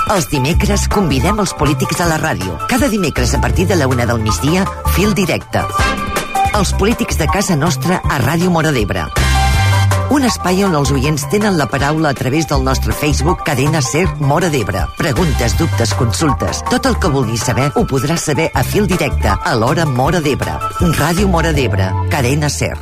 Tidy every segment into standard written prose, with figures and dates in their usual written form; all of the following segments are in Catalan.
Els dimecres convidem els polítics a la ràdio. Cada dimecres a partir de la 1 del migdia, Fil Directe. Els polítics de casa nostra a Ràdio Móra d'Ebre. Un espai on els oients tenen la paraula a través del nostre Facebook Cadena SER Móra d'Ebre. Preguntes, dubtes, consultes. Tot el que vulguis saber ho podràs saber a Fil Directe a l'hora Móra d'Ebre. Ràdio Móra d'Ebre. Cadena SER.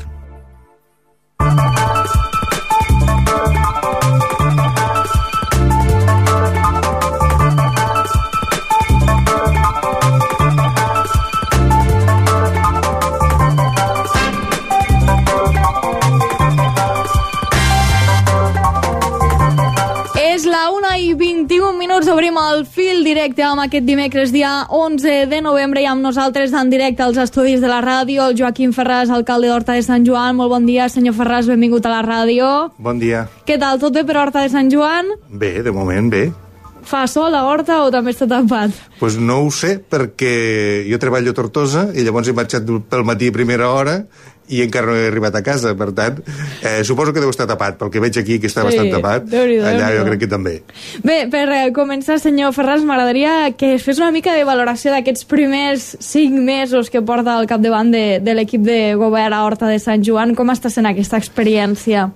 És la 1:21, obrim el Fil Directe amb aquest dimecres, dia 11 de novembre, i amb nosaltres en directe als estudis de la ràdio, el Joaquim Ferràs, alcalde d'Horta de Sant Joan. Molt bon dia, senyor Ferràs, benvingut a la ràdio. Bon dia. Què tal, tot bé per Horta de Sant Joan? Bé, de moment bé. Fa sol a Horta o també està tapat? Pues no ho sé, perquè jo treballo a Tortosa i llavors he marxat pel matí a primera hora i encara no he arribat a casa, per tant suposo que deu estar tapat, pel que veig aquí que està bastant tapat. Allà jo crec que també. Bé, per començar, senyor Ferràs, m'agradaria que es fes una mica de valoració d'aquests primers 5 mesos que porta al capdavant de l'equip de govern a Horta de Sant Joan. Com està sent aquesta experiència?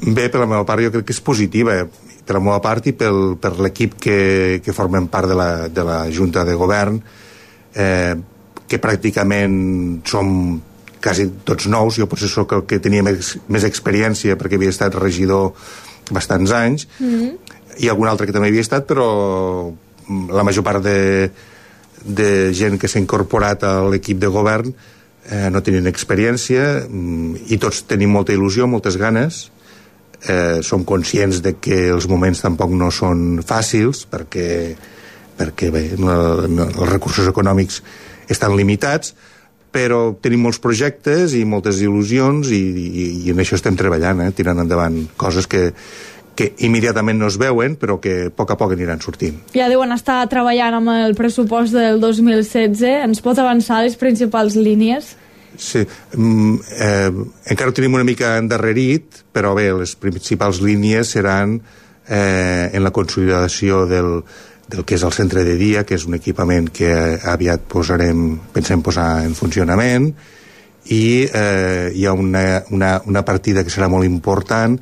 Bé, per la meva part jo crec que és positiva, per la meva part i per l'equip que formem part de la Junta de Govern, que pràcticament som quasi tots nous. Jo potser sóc el que tenia més experiència perquè havia estat regidor bastants anys, i algun altre que també havia estat, però la major part de gent que s'ha incorporat a l'equip de govern no tenien experiència, i tots tenim molta il·lusió, moltes ganes. Som conscients de que els moments tampoc no són fàcils perquè bé, els recursos econòmics estan limitats, però tenim molts projectes i moltes il·lusions i en això estem treballant, tirant endavant coses que immediatament no es veuen, però que a poc aniran sortint. Ja deuen estar treballant amb el pressupost del 2016. Ens pot avançar les principals línies? Sí, encara ho tenim una mica endarrerit, però bé, les principals línies seran en la consolidació del que és el centre de dia, que és un equipament que aviat pensem posar en funcionament, i hi ha una partida que serà molt important,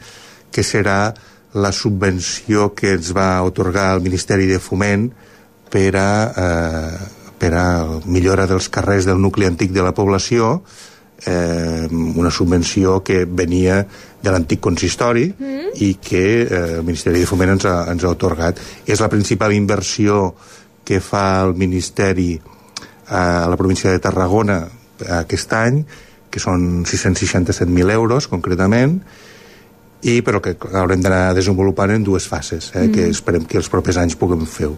que serà la subvenció que ens va atorgar el Ministeri de Foment per a millora dels carrers del nucli antic de la població, una subvenció que venia de l'antic consistori i que el Ministeri de Foment ens ha atorgat. És la principal inversió que fa el Ministeri a la província de Tarragona aquest any, que són 667.000 euros concretament, però que haurem d'anar desenvolupant en 2 fases, que esperem que els propers anys puguem fer-ho.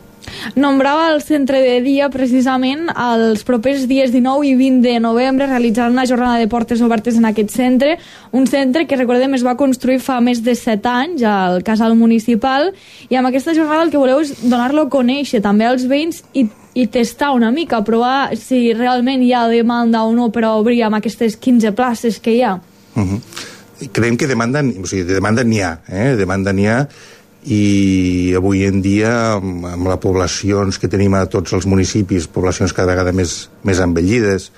Nombrava el centre de dia, precisament. Els propers dies 19 i 20 de novembre realitzaran una jornada de portes obertes en aquest centre, un centre que, recordem, es va construir fa més de 7 anys al casal municipal, i amb aquesta jornada el que voleu és donar-lo a conèixer també als veïns i tastar una mica, provar si realment hi ha demanda o no per a obrir amb aquestes 15 places que hi ha. Creiem que demanda n'hi ha, demanda n'hi ha, i avui en dia amb les poblacions que tenim a tots els municipis, poblacions cada vegada més envellides,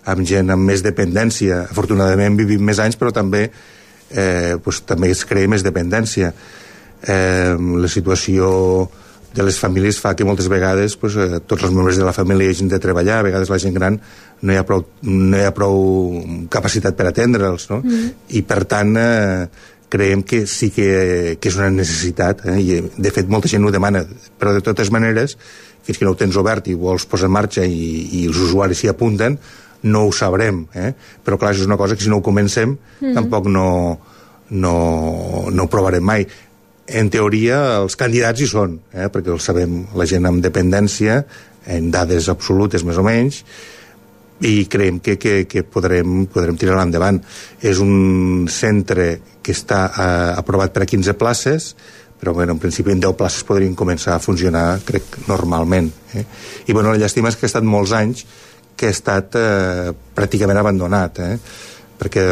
amb gent amb més dependència, afortunadament vivim més anys, però també es crea més dependència. La situació de les famílies fa que moltes vegades tots els membres de la família hagin de treballar, a vegades la gent gran no hi ha prou capacitat per atendre'ls, no? I per tant creiem que sí que és una necessitat, i de fet molta gent ho demana, però de totes maneres fins que no ho tens obert i vols posar en marxa i els usuaris s'hi apunten, no ho sabrem, però clar, això és una cosa que si no ho comencem tampoc no ho provarem mai. En teoria els candidats hi són, perquè els sabem, la gent amb dependència, en dades absolutes més o menys, i creiem que podrem tirar endavant. És un centre que està aprovat per a 15 places, però en principi en 10 places podrien començar a funcionar, crec, normalment. I la llàstima és que ha estat molts anys que ha estat pràcticament abandonat. perquè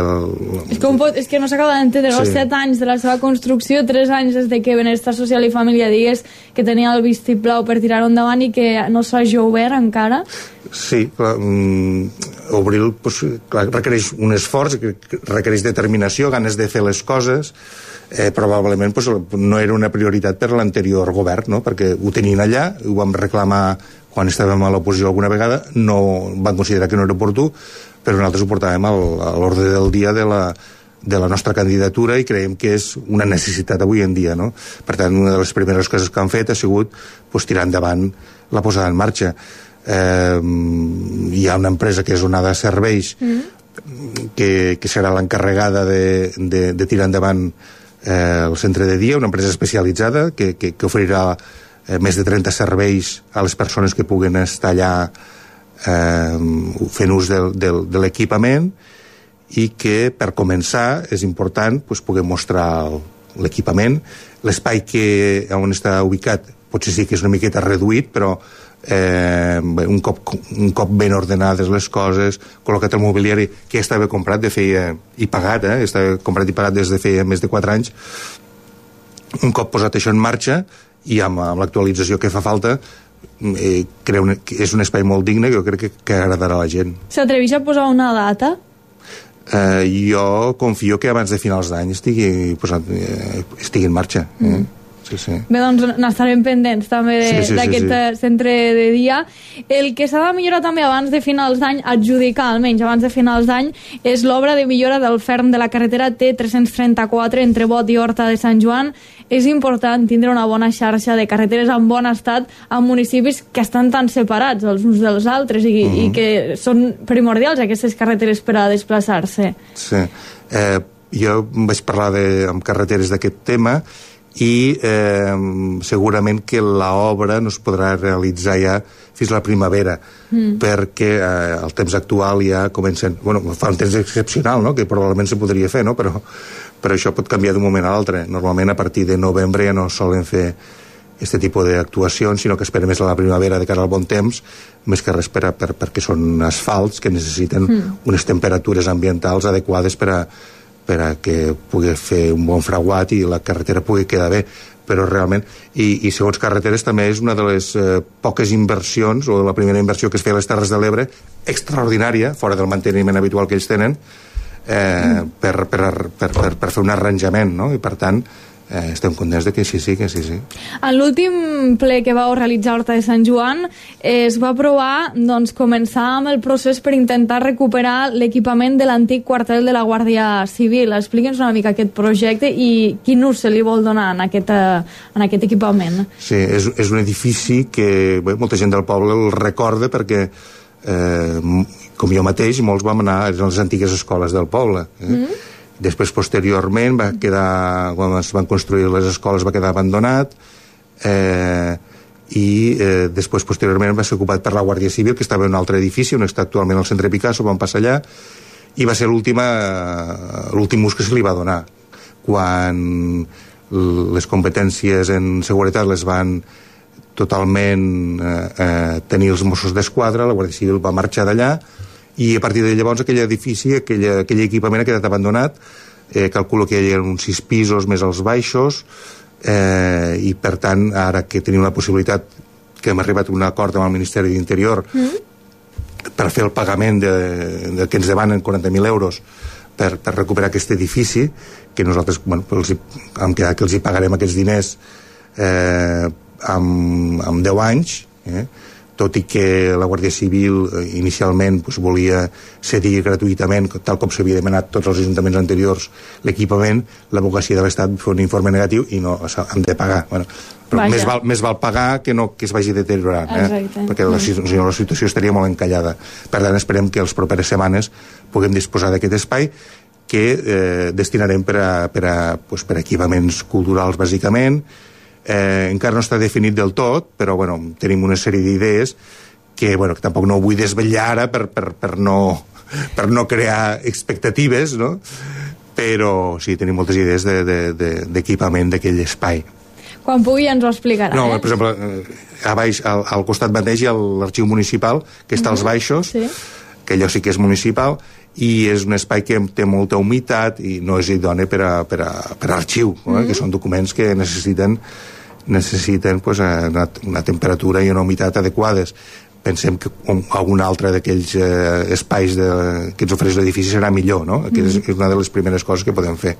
és que no s'acaba d'entendre, sí. 7 anys de la seva construcció, 3 anys des de que Benestar Social i Família digués que tenia el vistiplau per tirar-ho endavant i que no s'hagi obert encara. Sí, clar, obrir-lo requereix un esforç, requereix determinació, ganes de fer les coses. Probablement no era una prioritat per l'anterior govern, no? Perquè ho tenien allà, ho vam reclamar quan estàvem a l'oposició alguna vegada, no van considerar que no era oportú, però nosaltres ho portàvem a l'ordre del dia de la nostra candidatura i creiem que és una necessitat avui en dia, no? Per tant, una de les primeres coses que han fet ha sigut tirar endavant la posada en marxa. Hi ha una empresa que és Onada Serveis que serà l'encarregada de tirar endavant el centre de dia, una empresa especialitzada que oferirà més de 30 serveis a les persones que puguen estar allà fent ús de l'equipament, i que per començar és important poder mostrar l'equipament. L'espai on està ubicat potser sí que és una miqueta reduït, però un cop ben ordenades les coses, col·locat el mobiliari que ja estava comprat i pagat, estava comprat i pagat des de feia més de 4 anys. Un cop posat això en marxa i amb l'actualització que fa falta, creu que és un espai molt digne que jo crec que agradarà a la gent. S'atreveix a posar una data? Jo confio que abans de finals d'any estigui en marxa. Sí. Bé, doncs n'estarem pendents també d'aquest centre de dia. El que s'ha de millorar també abans de finals d'any, adjudicar almenys abans de finals d'any, és l'obra de millora del ferm de la carretera T334 entre Bot i Horta de Sant Joan. És important tindre una bona xarxa de carreteres en bon estat en municipis que estan tan separats els uns dels altres i que són primordials aquestes carreteres per a desplaçar-se. Sí. Jo vaig parlar amb carreteres d'aquest tema i segurament que l'obra no es podrà realitzar ja fins a la primavera, perquè el temps actual ja comencen... fa un temps excepcional, no?, que probablement se podria fer, no?, però això pot canviar d'un moment a l'altre. Normalment a partir de novembre ja no solen fer aquest tipus d'actuacions, sinó que esperen més a la primavera de cara al bon temps, més que res perquè són asfalts que necessiten unes temperatures ambientals adequades per a que pugui fer un bon fraguat i la carretera pugui quedar bé. Però realment, i segons carreteres també és una de les poques inversions, o la primera inversió que es feia a les Terres de l'Ebre, extraordinària, fora del manteniment habitual que ells tenen, per fer un arranjament, no? I per tant estem contents de que sí. En l'últim ple que vau realitzar a Horta de Sant Joan es va aprovar començar amb el procés per intentar recuperar l'equipament de l'antic quartel de la Guàrdia Civil. Expliqui'ns una mica aquest projecte i quin ús se li vol donar en aquest equipament. Sí, és un edifici que molta gent del poble el recorda perquè com jo mateix, molts vam anar a les antigues escoles del poble. Després, posteriorment, va quedar, quan es van construir les escoles, va quedar abandonat, i després, posteriorment, va ser ocupat per la Guàrdia Civil, que estava en un altre edifici, on està actualment el centre Picasso, vam passar allà, i va ser l'últim ús que se li va donar. Quan les competències en seguretat les van totalment tenir els Mossos d'Esquadra, la Guàrdia Civil va marxar d'allà, i a partir de llavors aquell edifici, aquell equipament ha quedat abandonat. Calculo que hi ha uns 6 pisos més als baixos, i per tant ara que tenim la possibilitat, que hem arribat a un acord amb el Ministeri d'Interior per fer el pagament que ens demanen 40.000 euros per recuperar aquest edifici, que nosaltres hem quedat que els hi pagarem aquests diners amb 10 anys, tot i que la Guàrdia Civil inicialment volia cedir gratuïtament, tal com s'havia demanat tots els ajuntaments anteriors, l'equipament. L'advocacia de l'Estat fa un informe negatiu i no, hem de pagar. Però més val pagar que no que es vagi deteriorant, perquè la situació estaria molt encallada. Per tant, esperem que les properes setmanes puguem disposar d'aquest espai que destinarem per a equipaments culturals, bàsicament. Encara no està definit del tot, però tenim una sèrie d'idees que tampoc no ho vull desvetllar ara per no crear expectatives, no? Però sí, tenim moltes idees d'equipament d'aquell espai. Quan pugui ens ho explicarà. No, per exemple, a baix, al costat mateix hi ha l'arxiu municipal, que està als baixos, que que allò sí que és municipal, i és un espai que té molta humitat i no és idoni per a arxiu, que són documents que necessiten pues, una temperatura i una humitat adequades. Pensem que algun altre d'aquells espais que ens ofereix l'edifici serà millor, no? Que és una de les primeres coses que podem fer.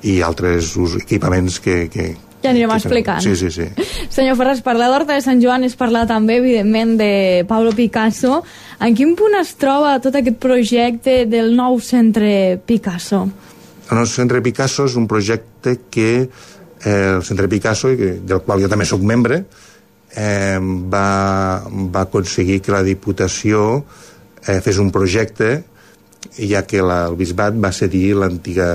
I altres equipaments que ja anirem explicant. Sí. Senyor Ferràs, parlar d'Horta de Sant Joan és parlar també, evidentment, de Pablo Picasso. En quin punt es troba tot aquest projecte del nou centre Picasso? El nou centre Picasso és un projecte que el centre Picasso, del qual jo també sóc membre, va aconseguir que la Diputació fes un projecte, ja que el bisbat va cedir l'antiga,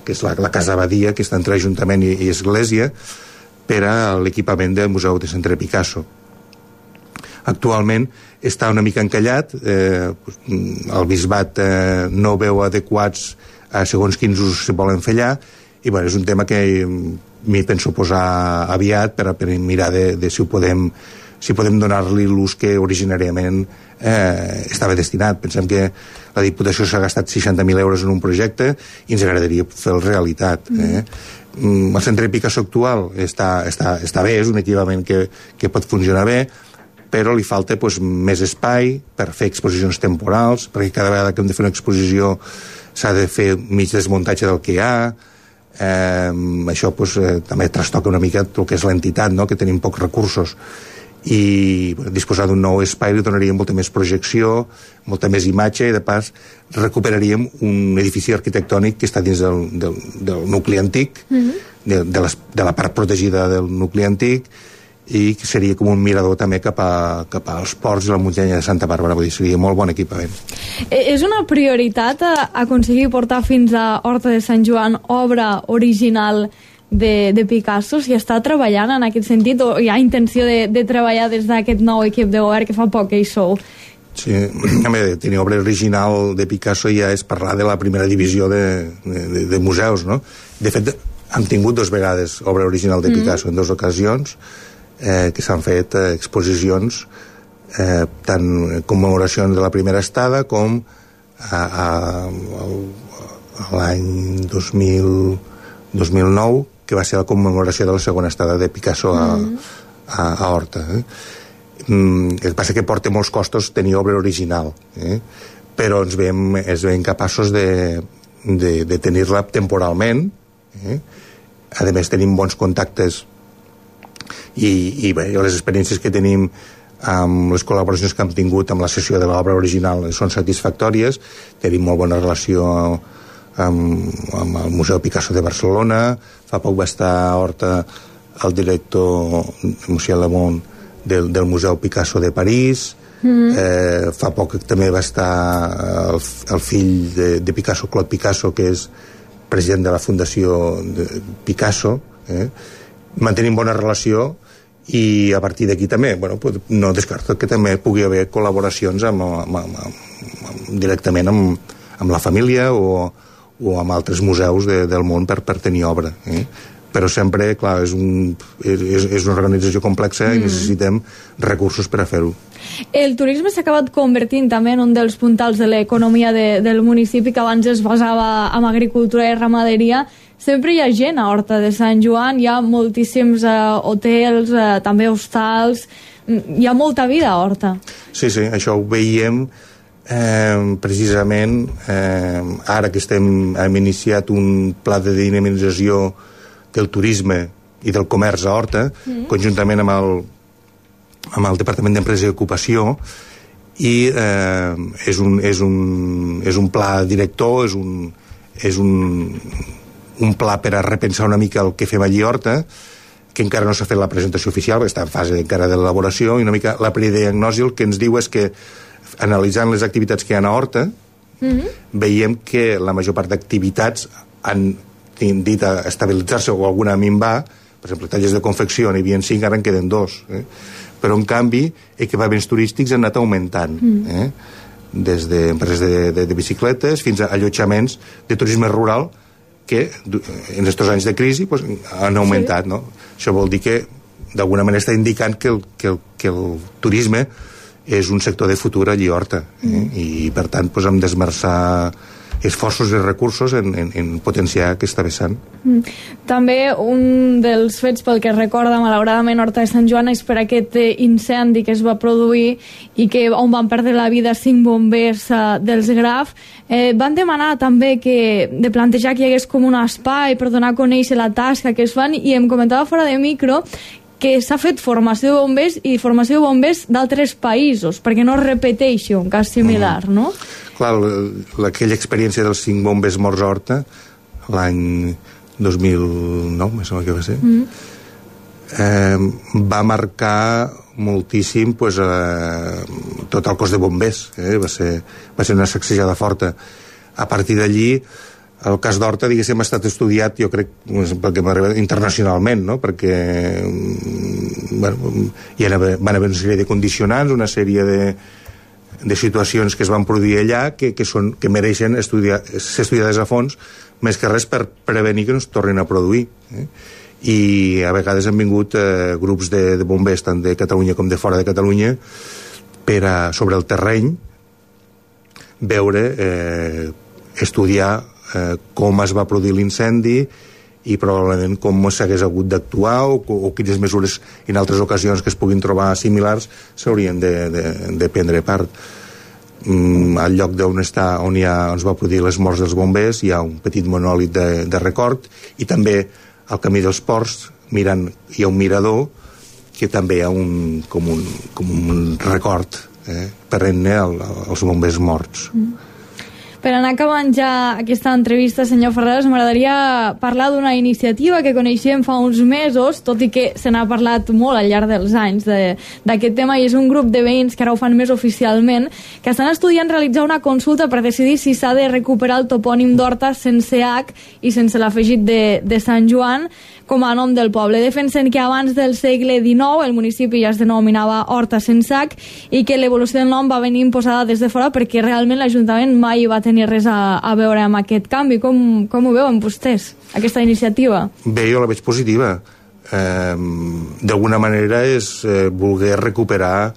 que és la Casa Abadia, que està entre Ajuntament i Església, per a l'equipament del Museu de Centre Picasso. Actualment està una mica encallat, el bisbat no veu adequats a segons quins usos se volen fer allà, i bueno, és un tema que m'hi penso posar aviat per mirar de si podem donar-li l'ús que originàriament estava destinat. Pensem que la Diputació s'ha gastat 60.000 euros en un projecte i ens agradaria fer-lo realitat. El centre Picasso actual està bé, és un equipament que pot funcionar bé, però li falta pues, més espai per fer exposicions temporals, perquè cada vegada que hem de fer una exposició s'ha de fer mig desmuntatge del que hi ha. Això pues, també trastoca una mica el que és l'entitat, no? Que tenim pocs recursos, i disposar d'un nou espai li donaria molta més projecció, molta més imatge, i de pas recuperaríem un edifici arquitectònic que està dins del nucli antic, de la part protegida del nucli antic, i que seria com un mirador també cap als ports i la muntanya de Santa Bàrbara. Vull dir, seria molt bon equipament. És una prioritat aconseguir portar fins a Horta de Sant Joan obra original de Picasso? Si està treballant en aquest sentit, o hi ha intenció de treballar des d'aquest nou equip de govern que fa poc que hi sou? Sí, tenir obra original de Picasso ja és parlar de la primera divisió de museus, no? De fet, hem tingut 2 vegades obra original de Picasso, en 2 ocasions, que s'han fet exposicions, tant commemoracions de la primera estada com a l'any 2009, que va ser la commemoració de la segona estada de Picasso a Horta. El que passa que porta molts costos tenir obra original, però ens veiem capaços de tenir-la temporalment. A més, tenim bons contactes i bé, les experiències que tenim amb les col·laboracions que hem tingut amb la sessió de l'obra original són satisfactòries. Tenim molt bona relació amb el Museu Picasso de Barcelona. Fa poc va estar a Horta el director Monsieur Lemont del Museu Picasso de París. Fa poc també va estar el fill de Picasso, Claude Picasso, que és president de la Fundació Picasso. Mantenim bona relació, i a partir d'aquí també no descarto que també pugui haver col·laboracions directament amb la família o amb altres museus del món per tenir obra. Però sempre, clar, és una organització complexa i necessitem recursos per a fer-ho. El turisme s'ha acabat convertint també en un dels puntals de l'economia del municipi, que abans es basava en agricultura i ramaderia. Sempre hi ha gent a Horta de Sant Joan, hi ha moltíssims hotels, també hostals, hi ha molta vida a Horta. Sí, això ho veiem precisament ara que hem iniciat un pla de dinamització del turisme i del comerç a Horta, conjuntament amb el Departament d'Empresa i Ocupació, i és un pla director, és un pla per a repensar una mica el que fem allí a Horta, que encara no s'ha fet la presentació oficial, perquè està en fase encara d'elaboració, i una mica la prediagnosi el que ens diu és que, analitzant les activitats que hi ha a Horta, veiem que la major part d'activitats han tendit a estabilitzar-se o alguna a minvar. Per exemple, tallers de confecció n'hi havia 5, ara en queden 2. Però, en canvi, equipaments turístics han anat augmentant. Des d'empreses de bicicletes fins a allotjaments de turisme rural que en aquests anys de crisi han augmentat. No? Això vol dir que d'alguna manera està indicant que el turisme és un sector de futur allí a Horta, i per tant doncs, hem d'esmerçar esforços i recursos en potenciar aquesta vessant. També un dels fets pel que recorda malauradament Horta de Sant Joan és per aquest incendi que es va produir i on van perdre la vida 5 bombers dels Graf. Van demanar també de plantejar que hi hagués com un espai per donar a conèixer la tasca que es fan, i em comentava fora de micro que s'ha fet formació de bombers i formació de bombers d'altres països perquè no es repeteixi un cas similar, no? Clar, aquella experiència dels 5 bombers morts a Horta l'any 2009, me sembla que va ser, va marcar moltíssim pues, tot el cos de bombers, va ser una sacsejada forta. A partir d'allí el cas d'Horta, diguéssim, ha estat estudiat, jo crec, perquè m'arriba internacionalment, no? Perquè van haver una sèrie de condicionants, una sèrie de situacions que es van produir allà que mereixen ser estudiades a fons, més que res per prevenir que no es tornin a produir. I a vegades han vingut grups de bombers, tant de Catalunya com de fora de Catalunya, per sobre el terreny veure, estudiar com es va produir l'incendi i probablement com s'hagués hagut d'actuar o quines mesures en altres ocasions que es puguin trobar similars s'haurien de prendre part. Al lloc on es va produir les morts dels bombers hi ha un petit monòlit de record, i també al camí dels Ports mirant hi ha un mirador que també hi ha com un record perenne als bombers morts. Per anar acabant ja aquesta entrevista, senyor Ferreras, m'agradaria parlar d'una iniciativa que coneixem fa uns mesos, tot i que se n'ha parlat molt al llarg dels anys d'aquest tema, i és un grup de veïns que ara ho fan més oficialment, que estan estudiant realitzar una consulta per decidir si s'ha de recuperar el topònim d'Horta sense H i sense l'afegit de Sant Joan com a nom del poble. Defensen que abans del segle XIX el municipi ja es denominava Horta sense H i que l'evolució del nom va venir imposada des de fora perquè realment l'Ajuntament mai va tenir res a veure amb aquest canvi. Com ho veuen vostès, aquesta iniciativa? Bé, jo la veig positiva. D'alguna manera és voler recuperar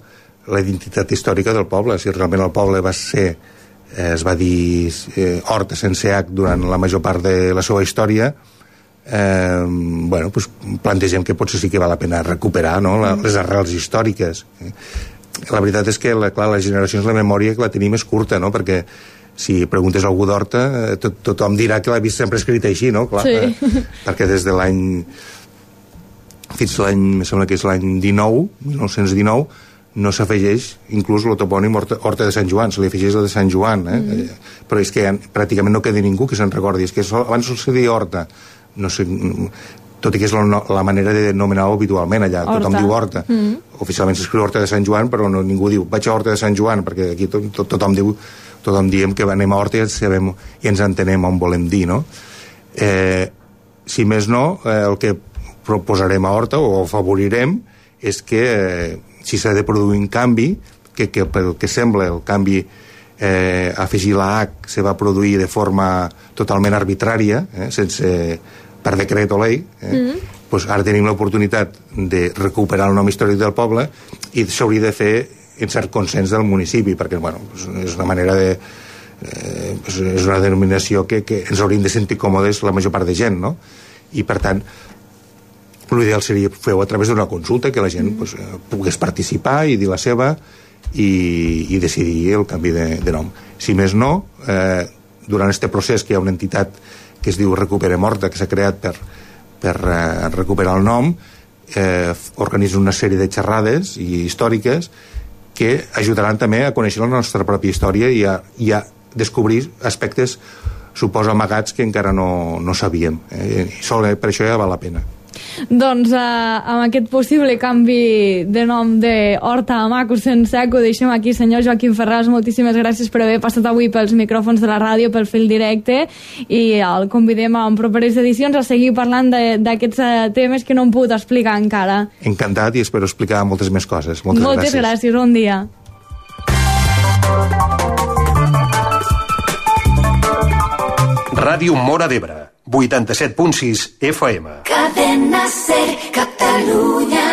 la identitat històrica del poble. Si realment el poble es va dir Horta sense H durant la major part de la seva història, plantegem que potser sí que val la pena recuperar, no? Les arrels històriques. La veritat és que les generacions, la memòria que la tenim és curta, no? Perquè si preguntes a algú d'Horta tothom dirà que l'ha vist sempre escrit així, no? Clar, sí. Perquè des de l'any fins l'any, me sembla que és l'any 1919 no s'afegeix inclús el topònim Horta de Sant Joan, se li afegeix el de Sant Joan, però és que pràcticament no queda ningú que se'n recordi. És que abans se deia Horta, no sé, tot i que és la manera de denominar-ho habitualment allà, tothom diu Horta. Oficialment s'escriu Horta de Sant Joan, però ningú diu vaig a Horta de Sant Joan, perquè aquí tothom diem que anem a Horta i ens entenem on volem dir, no? Si més no, el que proposarem a Horta o afavorirem és que si s'ha de produir un canvi, que pel que sembla el canvi afegir la H se va produir de forma totalment arbitrària, per decret o llei, doncs ara tenim l'oportunitat de recuperar el nom històric del poble i s'hauria de fer en cert consens del municipi, perquè és una manera de és una denominació que ens hauríem de sentir còmodes la major part de gent, no? I per tant l'ideal seria fer-ho a través d'una consulta, que la gent pogués participar i dir la seva i decidir el canvi de nom. Si més no, durant aquest procés que hi ha una entitat que es diu Recuperem Horta, que s'ha creat per recuperar el nom, organitza una sèrie de xerrades històriques que ajudaran també a conèixer la nostra pròpia història i a descobrir aspectes, suposo, amagats que encara no sabíem. Per això ja val la pena. Doncs amb aquest possible canvi de nom de Horta a Maco sense H ho deixem aquí. Senyor Joaquim Ferreras, moltíssimes gràcies per haver passat avui pels micròfons de la ràdio, pel fil directe, i el convidem en properes edicions a seguir parlant d'aquests temes que no hem pogut explicar encara. Encantat, i espero explicar moltes més coses. Moltes gràcies, bon dia. Ràdio Móra d'Ebre, 87.6 FM. Cadena Ser, Catalunya.